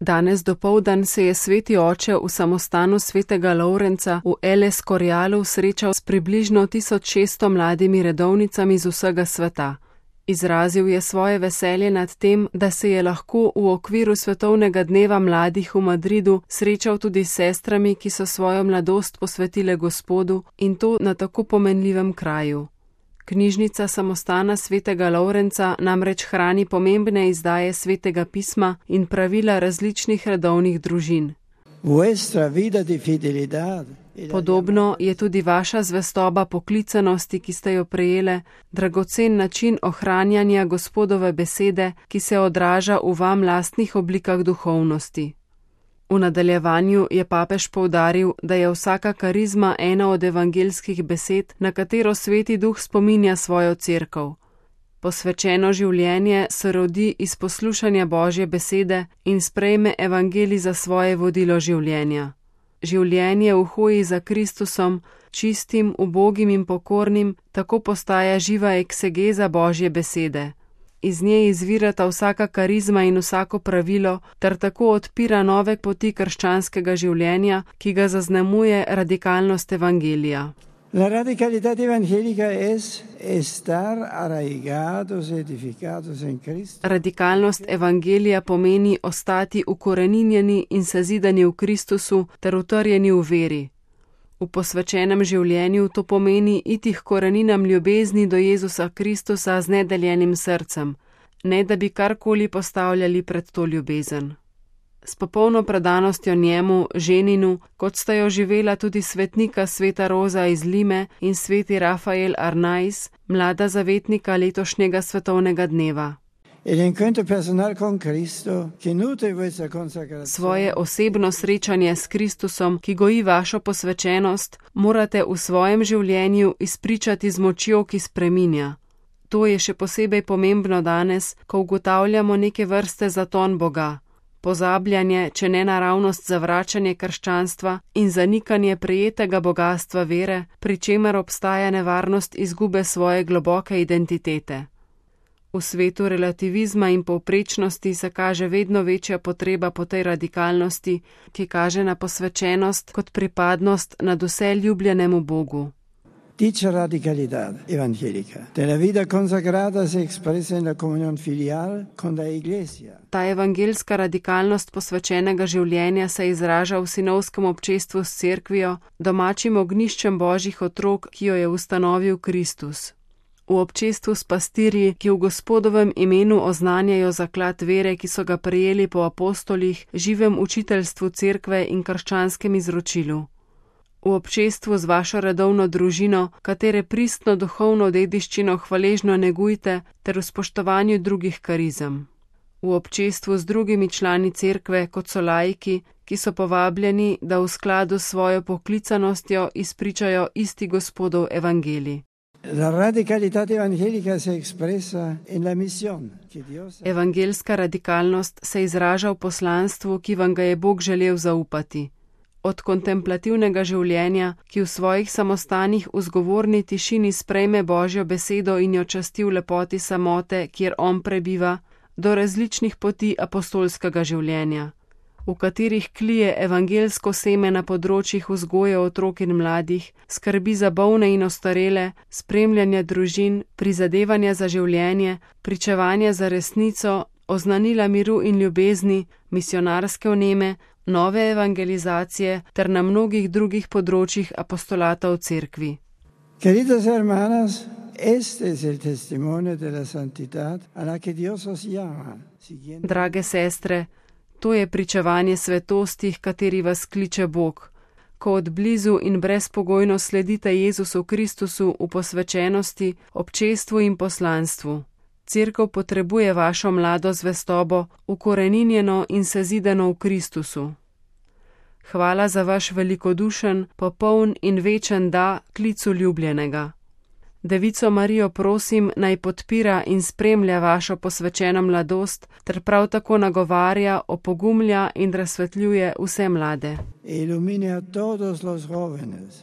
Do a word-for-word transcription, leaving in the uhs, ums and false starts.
Danes dopoldan se je sveti oče v samostanu svetega Lovrenca v El Escorialu srečal s približno tisoč šeststo mladimi redovnicami z vsega sveta. Izrazil je svoje veselje nad tem, da se je lahko v okviru svetovnega dneva mladih v Madridu srečal tudi s sestrami, ki so svojo mladost posvetile Gospodu, in to na tako pomenljivem kraju. Knjižnica samostana svetega Lovrenca namreč hrani pomembne izdaje svetega pisma in pravila različnih redovnih družin. Podobno je tudi vaša zvestoba poklicanosti, ki ste jo prejele, dragocen način ohranjanja Gospodove besede, ki se odraža v vam lastnih oblikah duhovnosti. V nadaljevanju je papež poudaril, da je vsaka karizma ena od evangeljskih besed, na katero sveti duh spominja svojo cerkev. Posvečeno življenje se rodi iz poslušanja Božje besede in sprejme evangelij za svoje vodilo življenja. Življenje v hoji za Kristusom, čistim, ubogim in pokornim, tako postaja živa eksegeza Božje besede. Iz nje izvirata vsaka karizma in vsako pravilo, ter tako odpira nove poti krščanskega življenja, ki ga zaznamuje radikalnost evangelija. La radicalidad evangelica es estar arraigados, edificados en Cristo. Radikalnost evangelija pomeni ostati ukoreninjeni in sezidani v Kristusu ter utrjeni v veri. V posvečenem življenju to pomeni iti k koreninam ljubezni do Jezusa Kristusa z nedeljenim srcem, ne da bi karkoli postavljali pred to ljubezen. S popolno predanostjo njemu, ženinu, kot sta jo živela tudi svetnika sveta Roza iz Lime in sveti Rafael Arnaiz, mlada zavetnika letošnjega svetovnega dneva. Svoje osebno srečanje s Kristusom, ki goji vašo posvečenost, morate v svojem življenju izpričati z močjo, ki spreminja. To je še posebej pomembno danes, ko ugotavljamo neke vrste zaton Boga. Pozabljanje, če ne naravnost zavračanje krščanstva in zanikanje prejetega bogastva vere, pri čemer obstaja nevarnost izgube svoje globoke identitete. V svetu relativizma in povprečnosti se kaže vedno večja potreba po tej radikalnosti, ki kaže na posvečenost kot pripadnost nadvse ljubljenemu Bogu. Dicha radicalidad evangélica de la vida consagrada se expresa en la comunión filial con la Iglesia. Ta evangeljska radikalnost posvečenega življenja se izraža v sinovskem občestvu s cerkvijo, domačim ognjiščem Božjih otrok, ki jo je ustanovil Kristus. V občestvu s pastirji, ki v Gospodovem imenu oznanjajo zaklad vere, ki so ga prejeli po apostolih, živem učiteljstvu cerkve in krščanskem izročilu. V občestvu z vašo redovno družino, katere pristno duhovno dediščino hvaležno negujte, ter v spoštovanju drugih karizem. V občestvu z drugimi člani cerkve, kot so laiki, ki so povabljeni, da v skladu s svojo poklicanostjo izpričajo isti Gospodov evangelij. La radicalidad evangélica se expresa en la misión que Dios... Evangeljska radikalnost se izraža v poslanstvu, ki vam ga je Bog želel zaupati. Od kontemplativnega življenja, ki v svojih samostanih v zgovorni tišini sprejme Božjo besedo in jo časti v lepoti samote, kjer on prebiva, do različnih poti apostolskega življenja, v katerih klije evangeljsko seme na področjih vzgoje otrok in mladih, skrbi za bolne in ostarele, spremljanja družin, prizadevanja za življenje, pričevanja za resnico, oznanila miru in ljubezni, misionarske vneme, nove evangelizacije ter na mnogih drugih področjih apostolata v cerkvi. Queridas hermanas, este es el testimonio de la santidad a la que Dios os llama. Drage sestre, to je pričevanje svetosti, kateri vas kliče Bog. Ko od blizu in brezpogojno sledite Jezusu Kristusu v posvečenosti, občestvu in poslanstvu. Cerkev potrebuje vašo mlado zvestobo, ukoreninjeno in sezidano v Kristusu. Hvala za vaš velikodušen, popoln in večen da klicu ljubljenega. Devico Marijo prosim, naj podpira in spremlja vašo posvečeno mladost, ter prav tako nagovarja, opogumlja in razsvetljuje vse mlade. Ilumina todos los jóvenes.